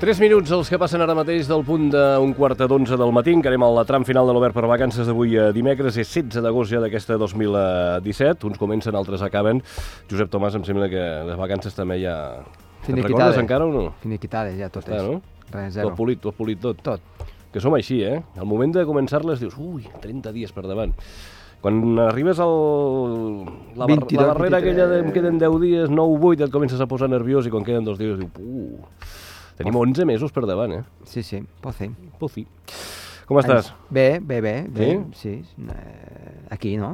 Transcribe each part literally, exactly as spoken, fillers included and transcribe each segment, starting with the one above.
Tres minuts els que passen ara mateix del punt d'un quart d'onze del matí. Encarem el tram final de l'Obert per Vacances d'avui dimecres. És setze d'agost ja d'aquesta dos mil disset. Uns comencen, altres acaben. Josep Tomàs, em sembla que les vacances també ja... Te'n recordes encara o no? Finiquitades, ja tot és. No? Res, zero. Tot polit, tot polit, tot. Tot. Que som així, eh? Al moment de començar-les dius, ui, trenta dies per davant. Quan arribes al... la, bar... vint-i-dos, la barrera vint-i-tres... aquella de em queden deu dies, nou, vuit, et comences a posar nerviós i quan queden dos dies dius, uh... Tenim onze mesos per davant, eh? Sí, sí, pot fer. Pot fer. Com estàs? Bé, bé, bé. bé. Sí? Sí. Eh, aquí, no?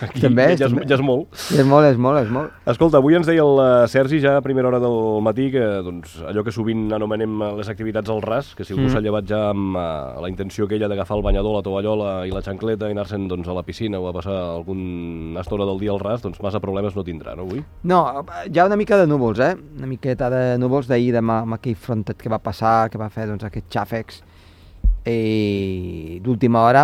Aquí també, ja, és, ja és molt. Ja és molt, és molt, és molt. Escolta, avui ens deia el Sergi ja a primera hora del matí que doncs, allò que sovint anomenem les activitats al ras, que si algú mm. s'ha llevat ja amb uh, la intenció aquella d'agafar el banyador, la tovallola i la xancleta i anar-se'n doncs, a la piscina o a passar alguna estona del dia al ras, doncs massa problemes no tindrà, no, avui? No, hi ha una mica de núvols, eh? Una miqueta de núvols d'ahir, demà, amb aquell frontet que va passar, que va fer doncs, aquests xàfecs, i d'última hora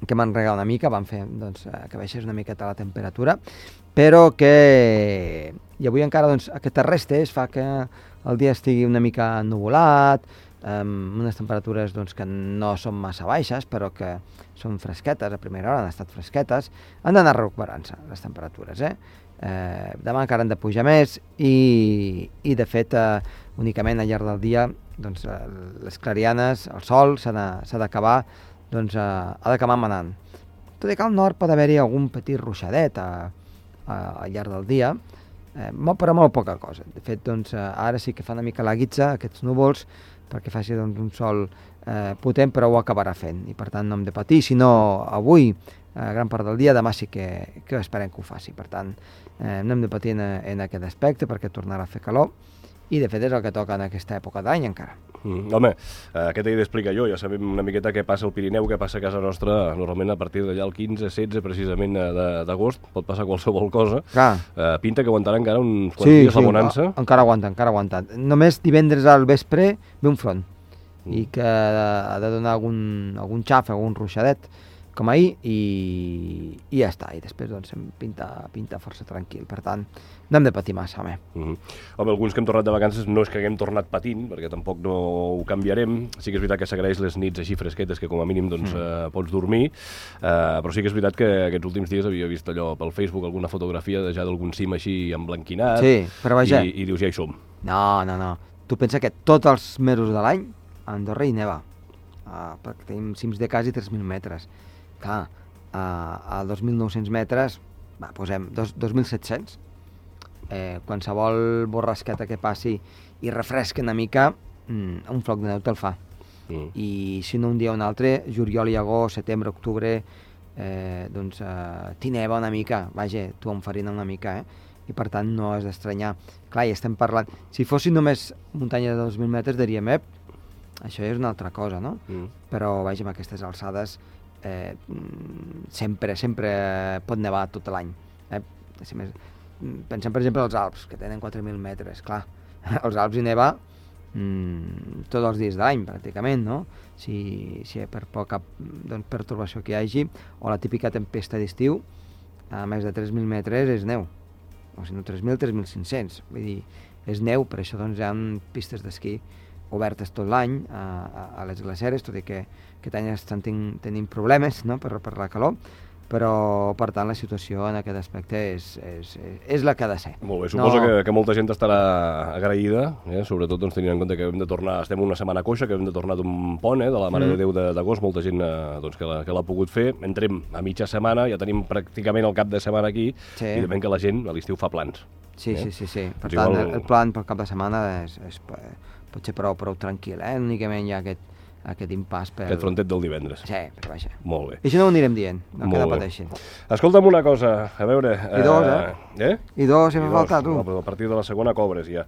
que m'han regalat una mica, van fer doncs, que baixés una miqueta la temperatura, però que i avui encara doncs, aquestes restes fa que el dia estigui una mica ennuvolat, amb unes temperatures doncs, que no són massa baixes, però que són fresquetes, a primera hora han estat fresquetes, han d'anar recuperant-se les temperatures, eh? Eh, demà encara han de pujar més i, i de fet eh, únicament al llarg del dia doncs, eh, les clarianes, el sol s'ha d'acabar doncs, eh, ha d'acabar manant, tot i que al nord pot haver-hi algun petit ruixadet a, a, al llarg del dia, eh, molt, però molt poca cosa. De fet doncs, eh, ara sí que fa una mica la guitza aquests núvols perquè faci doncs, un sol eh, potent, però ho acabarà fent i per tant no hem de patir, sinó avui eh, gran part del dia, demà sí que, que esperem que ho faci, per tant eh, no hem de patir en, en aquest aspecte perquè tornarà a fer calor i de fet és el que toca en aquesta època d'any encara. Mm, home, eh, què t'he d'explicar jo? Ja sabem una miqueta què passa al Pirineu, què passa a casa nostra, normalment a partir d'allà el quinze, setze precisament d'agost, pot passar qualsevol cosa. Eh, pinta que aguantarà encara uns quants sí, dies sí, la bonança. Sí, encara aguanta, encara aguanta. Només divendres al vespre ve un front mm. i que ha de donar algun, algun xaf, algun ruixadet, com ahir, i, i ja està. I després doncs, em pinta, pinta força tranquil. Per tant, no hem de patir massa, home. Mm -hmm. Home, alguns que hem tornat de vacances no és que haguem tornat patint, perquè tampoc no ho canviarem. Sí que és veritat que s'agraeix les nits així fresquetes, que com a mínim doncs, mm. eh, pots dormir, eh, però sí que és veritat que aquests últims dies havia vist allò pel Facebook, alguna fotografia de ja d'algun cim així emblanquinat, sí, però vaja. I, i dius, ja hi som. No, no, no. Tu pensa que tots els mesos de l'any a Andorra hi neva, uh, perquè tenim cims de quasi tres mil metres. Clar, a, a dos mil nou-cents metres, va, posem dos mil set-cents. Eh, qualsevol borrasqueta que passi i refresca una mica, mm, un floc de neu te'l fa. Mm. I si no un dia o un altre, juliol i agost, setembre, octubre, eh, doncs eh, t'hi neva una mica, vaja, t'ho enfarina una mica, eh? I per tant no has d'estranyar. Clar, i estem parlant, si fossin només muntanya de dos mil metres diríem, ep, això és una altra cosa, no? Mm. Però vaja, amb aquestes alçades Eh, sempre, sempre pot nevar tot l'any. Eh? Pensem, per exemple, als Alps, que tenen quatre mil metres. Clar, als Alps hi neva mm, tots els dies de l'any, pràcticament, no? Si, si per poca doncs, pertorbació que hi hagi, o la típica tempesta d'estiu, a més de tres mil metres és neu. O si no, tres mil, tres mil cinc-cents. Vull dir, és neu, per això doncs, hi ha pistes d'esquí obertes tot l'any a, a, a les glaceres, tot i que aquest any estan ten, tenint problemes, no? per, per la calor, però per tant la situació en aquest aspecte és, és, és la que ha de ser. Molt bé, suposo no... que, que molta gent estarà agraïda, eh? Sobretot doncs, tenint en compte que hem de tornar, estem una setmana coixa, que hem de tornar d'un pont, eh? de la Mare mm. de Déu d'agost, molta gent eh, doncs, que l'ha pogut fer, entrem a mitja setmana, ja tenim pràcticament el cap de setmana aquí, sí. I de ben que la gent a l'estiu fa plans. Sí, eh? sí, sí, sí, per doncs tant igual... el, el plan pel cap de setmana és, és, pot ser prou, prou tranquil, eh? Únicament hi ha aquest aquest impàs per... Aquest frontet del divendres. Sí, però vaja. Molt bé. I això no ho anirem dient, no que no pateixin. Escolta'm una cosa, a veure... I dos, eh? Eh? I dos, si fa falta, tu. No, però a partir de la segona cobres, ja.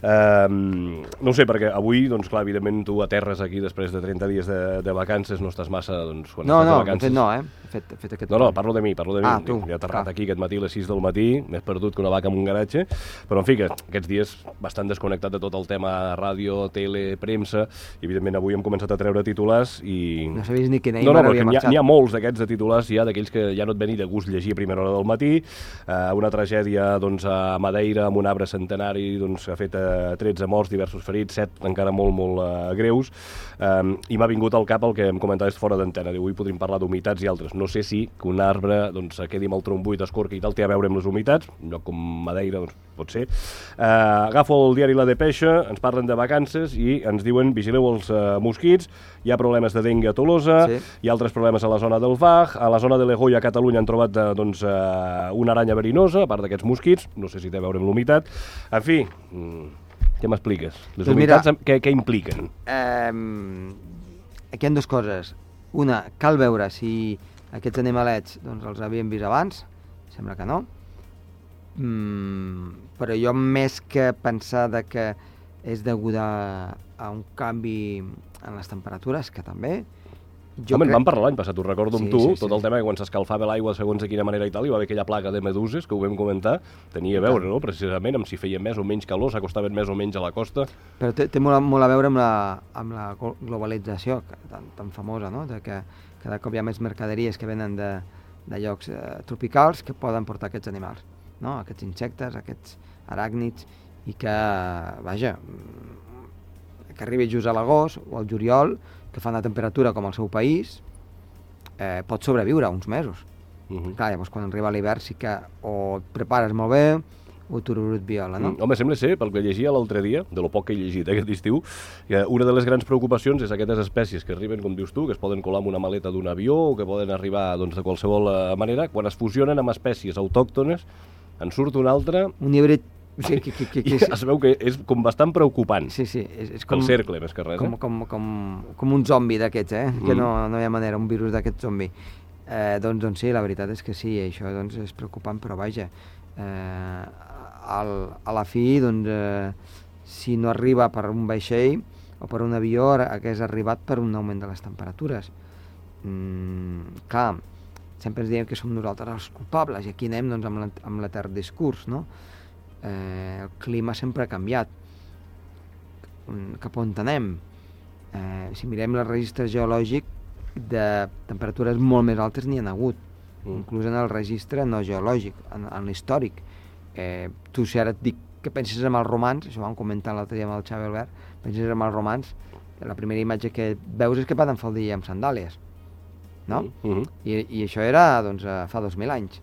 Um, no ho sé, perquè avui, doncs clar, evidentment tu aterres aquí després de trenta dies de, de vacances, no estàs massa, doncs, quan no, estàs no, de vacances... No, no, eh? Fet, fet aquest no, no, parlo de mi, parlo de mi. Ah, tu. He aterrat aquí aquest matí a les sis del matí, més perdut que una vaca en un garatge, però en fi, que aquests dies bastant desconnectat de tot el tema ràdio, tele, premsa, i evidentment avui hem començat a treure titulars i... No sabies ni quin No, no, Neymar havia perquè n'hi ha, marxat. n'hi ha molts d'aquests de titulars ja, d'aquells que ja no et veni de gust llegir a primera hora del matí, eh, una tragèdia doncs, a Madeira amb un arbre centenari doncs, que ha fet eh, tretze morts, diversos ferits, set encara molt, molt eh, greus, eh, i m'ha vingut al cap el que em comentaves fora d'antena, diu, avui podríem parlar d'humitats i altres. No sé si que un arbre doncs, quedi amb el tronc buit, escorca i tal, té a veure amb les humitats, un lloc com Madeira, doncs, pot ser. Eh, agafo el diari La Depeixa, ens parlen de vacances i ens diuen, vigileu els eh, mosquits, hi ha problemes de dengue a Tolosa, sí. Hi ha altres problemes a la zona del Vag, a la zona de l'Egoia a Catalunya han trobat eh, doncs, eh, una aranya verinosa, a part d'aquests mosquits, no sé si té a veure amb l'humitat. En fi, què m'expliques? Les Doncs humitats, mira, què, què impliquen? Eh, aquí hi ha dues coses. Una, cal veure si aquests animalets doncs, els havíem vist abans, sembla que no, mm, però jo més que pensar de que és deguda a un canvi en les temperatures, que també... Jo Home, crec... en vam parlar l'any passat, ho recordo amb sí, tu, sí, sí, tot el tema que quan s'escalfava l'aigua segons de quina manera i tal, hi va haver aquella plaga de meduses que ho vam comentar, tenia a veure, no?, precisament, amb si feia més o menys calor, s'acostaven més o menys a la costa. Però té, té molt, a, molt a veure amb la, amb la globalització que, tan, tan famosa, no?, de que cada cop hi ha més mercaderies que venen de, de llocs eh, tropicals que poden portar aquests animals, no?, aquests insectes, aquests aràcnids, i que, vaja, que arribi just a l'agost o al juliol, que fa una temperatura com al seu país, eh, pot sobreviure uns mesos. Uh -huh. Clar, llavors quan arriba l'hivern sí que o et prepares molt bé o tururut viola, no? Mm, home, sembla ser, pel que llegia l'altre dia, de lo poc que he llegit aquest estiu, que una de les grans preocupacions és aquestes espècies que arriben, com dius tu, que es poden colar amb una maleta d'un avió o que poden arribar doncs, de qualsevol manera, quan es fusionen amb espècies autòctones, en surt una altra... Un híbrid. Sí, que, que, que, que, I es veu que és com bastant preocupant. Sí, sí. És, és com, el cercle, més que res. Com, eh? com, com, com un zombi d'aquests, eh? Mm. Que no, no hi ha manera, un virus d'aquest zombi. Eh, doncs, doncs sí, la veritat és que sí, això doncs, és preocupant, però vaja, eh, al, a la fi, doncs, eh, si no arriba per un vaixell o per un avió, hagués arribat per un augment de les temperatures. Mm, clar, sempre ens diem que som nosaltres els culpables, i aquí anem doncs, amb l'etern discurs, no? Eh, el clima sempre ha canviat. Cap on anem? Eh, si mirem el registre geològic, de temperatures molt més altes n'hi ha hagut, mm. inclús en el registre no geològic, en, en l'històric. Eh, tu, si ara et dic que penses en els romans, això ho vam comentar l'altre dia amb el Xavi Albert, penses en els romans, la primera imatge que veus és que van faldilla amb sandàlies, no? Mm -hmm. I, I això era, doncs, fa dos mil anys.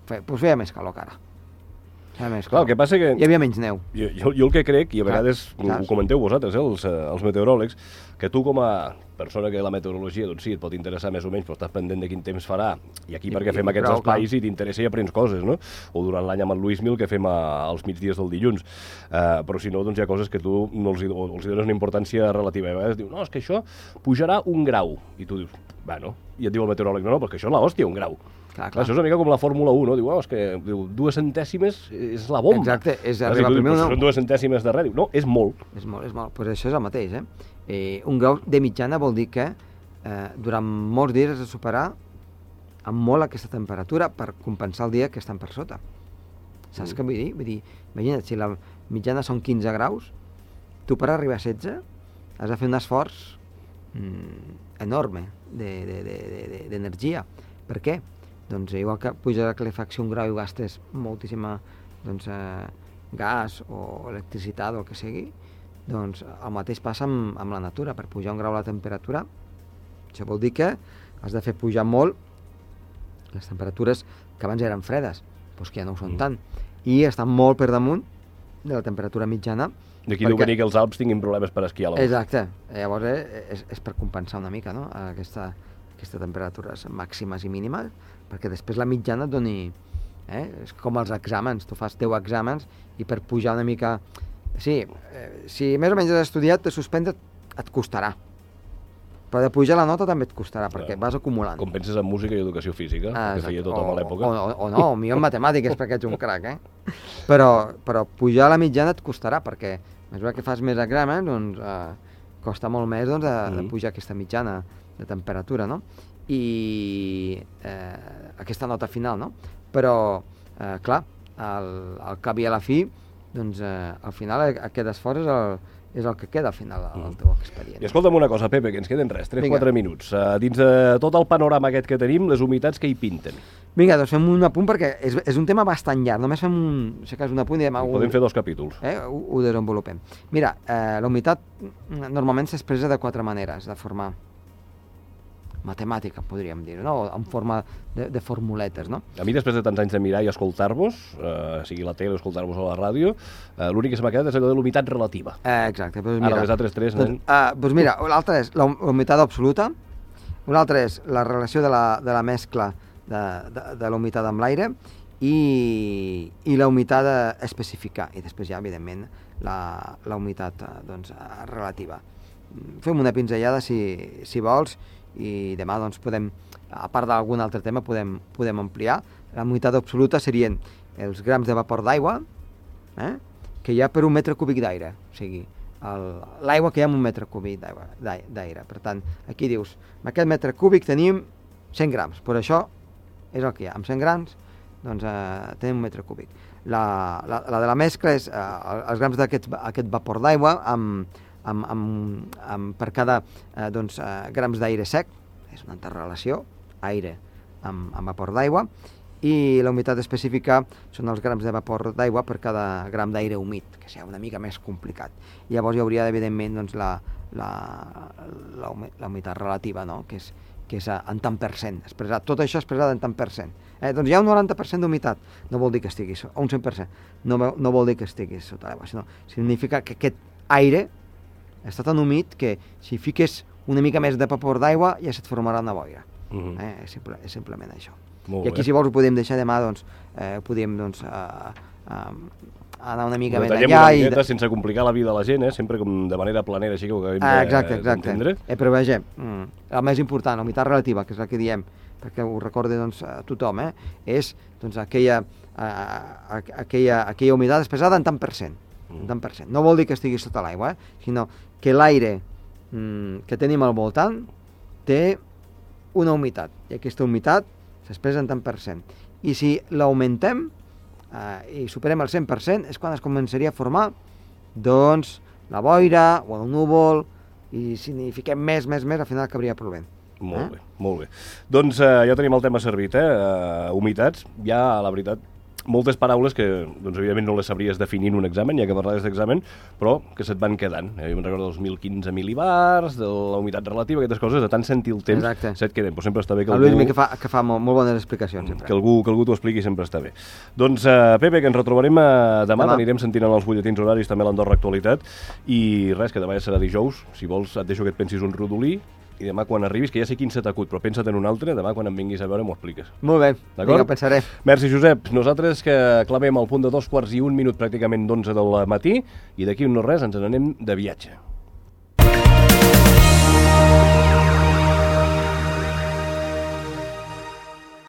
Fe, doncs feia més calor que ara. Més, clar, el que passa que... Hi havia menys neu. Jo, jo, jo el que crec, i a vegades clar, ho comenteu vosaltres, eh, els, els meteoròlegs, que tu com a persona que la meteorologia, doncs sí, et pot interessar més o menys, però estàs pendent de quin temps farà, i aquí I, perquè fem i, aquests prou, espais clar. I t'interessa i aprens coses, no? O durant l'any amb el Luis Mil, que fem a, als migdies del dilluns. Uh, però si no, doncs hi ha coses que tu no els, o els dones una importància relativa. I a vegades diu, no, és que això pujarà un grau. I tu dius, bueno, i et diu el meteoròleg, no, no, perquè això és l'hòstia, un grau. Clar, clar. Això és una mica com la Fórmula un, no? Diu, oh, és que diu, dues centèsimes és la bomba. Exacte, és clar, arribar si primer o no. Són dues centèsimes de res. Diu, no, és molt. És molt, és molt. Pues això és el mateix, eh? eh un grau de mitjana vol dir que eh, durant molts dies has de superar amb molt aquesta temperatura per compensar el dia que estan per sota. Saps mm. què vull dir? Vull dir, imagina't, si la mitjana són quinze graus, tu per arribar a setze has de fer un esforç mm, enorme d'energia. De, de, de, de, per què? Doncs igual que puja la calefacció un grau i gastes moltíssima doncs, eh, gas o electricitat o el que sigui, doncs el mateix passa amb, amb la natura. Per pujar un grau la temperatura, això vol dir que has de fer pujar molt les temperatures que abans eren fredes, doncs que ja no ho són mm. tant, i estan molt per damunt de la temperatura mitjana. D'aquí deu venir que els Alps tinguin problemes per esquiar. Exacte, llavors eh, és, és per compensar una mica, no?, aquesta, aquestes temperatures màximes i mínimes, perquè després la mitjana et doni... Eh? És com els exàmens, tu fas deu exàmens i per pujar una mica... Sí, eh, si més o menys has estudiat, de suspendre et costarà. Però de pujar la nota també et costarà, clar, perquè vas acumulant. Com penses en música i educació física, ah, que feia tothom o, a l'època. O, o, o no, o millor en matemàtiques, perquè ets un crac, eh? Però, però pujar la mitjana et costarà, perquè a mesura que fas més exàmens, doncs, eh, costa molt més doncs, de, mm. de pujar aquesta mitjana de temperatura, no? I eh, aquesta nota final, no? Però, eh, clar, al, al cap i a la fi, doncs, eh, al final aquest esforç és el, és el que queda al final del teu expedient. I escolta'm una cosa, Pepe, que ens queden res, tres quatre minuts. Uh, dins de tot el panorama aquest que tenim, les humitats que hi pinten? Vinga, doncs fem un apunt perquè és, és un tema bastant llarg. Només fem un, si cas, un apunt i demà... Podem fer dos capítols. Eh, ho, ho desenvolupem. Mira, eh, la humitat normalment s'expressa de quatre maneres, de forma matemàtica, podríem dir, no? En forma de, de formuletes, no? A mi, després de tants anys de mirar i escoltar-vos, eh, sigui la tele o escoltar-vos a la ràdio, eh, l'únic que se m'ha quedat és allò de l'humitat relativa. Eh, exacte. Doncs mira, ara, les altres tres... Doncs, uh, doncs mira, l'altra és la humitat absoluta, una altra és la relació de la, de la mescla de, de, de la humitat amb l'aire i, i la humitat específica. I després ja, evidentment, la, la humitat doncs, relativa. Fem una pinzellada, si, si vols, i demà doncs, podem, a part d'algun altre tema, podem, podem ampliar. La humitat absoluta serien els grams de vapor d'aigua eh, que hi ha per un metre cúbic d'aire. O sigui, l'aigua que hi ha en un metre cúbic d'aire. Per tant, aquí dius, en aquest metre cúbic tenim cent grams, per això és el que hi ha. Amb cent grams doncs, eh, tenim un metre cúbic. La, la, la de la mescla és eh, els grams d'aquest aquest vapor d'aigua amb Amb, amb, amb, per cada eh, doncs, eh, grams d'aire sec, és una interrelació, aire amb, amb vapor d'aigua, i la humitat específica són els grams de vapor d'aigua per cada gram d'aire humit, que sigui una mica més complicat. I llavors hi hauria, evidentment, doncs, la, la, la, la humitat relativa, no? que és, que és en tant per cent, expressat. Tot això expressat en tant per cent. Eh, doncs hi ha un noranta per cent d'humitat, no vol dir que estiguis, o un cent per cent, no, no vol dir que estiguis sota l'aigua, sinó significa que aquest aire està tan humit que si fiques una mica més de vapor d'aigua ja se't formarà una boira. Uh -huh. eh? és, simple, és simplement això. Molt I aquí, bé. si vols, ho podem deixar demà, doncs, eh, podem doncs, uh, uh, anar una mica ho més allà. Una miqueta, i... sense complicar la vida a la gent, eh? Sempre com de manera planera, així que ho acabem ah, exacte, d'entendre. exacte. Eh, però veja, mm, el més important, la humitat relativa, que és la que diem, perquè ho recorda doncs, a tothom, eh? és doncs, aquella, uh, aquella, aquella humitat expressada en tant per cent. En tant per cent. No vol dir que estigui sota l'aigua, eh? sinó que l'aire mm, que tenim al voltant té una humitat, i aquesta humitat s'expressa en tant per cent. I si l'augmentem eh, i superem el cent per cent, és quan es començaria a formar doncs, la boira o el núvol, i si n'hi fiquem més, més, més, al final acabaria plovent. Molt eh? bé, molt bé. Doncs eh, ja tenim el tema servit, eh? Uh, humitats, ja, la veritat, moltes paraules que, doncs, evidentment, no les sabries definir en un examen, ja que parlaves d'examen, però que se't van quedant. Eh? Jo me'n recordo dels mil quinze mil·libars, de la humitat relativa, aquestes coses, de tant sentir el temps, Exacte. se't queden. Però sempre està bé que el algú... Luismi que fa, que fa molt, molt bones explicacions, sempre. Que algú, que algú t'ho expliqui sempre està bé. Doncs, uh, Pepe, que ens retrobarem uh, demà, demà. Anirem sentint en els butlletins horaris també l'Andorra Actualitat, i res, que demà ja serà dijous. Si vols, et deixo que et pensis un rodolí, i demà quan arribis, que ja sé quin se t'acut, però pensa't en un altre, demà quan em vinguis a veure m'ho expliques. Molt bé, vinga, pensaré. Merci, Josep. Nosaltres que clamem al punt de dos quarts i un minut pràcticament d'onze del matí, i d'aquí un no res ens n'anem de viatge.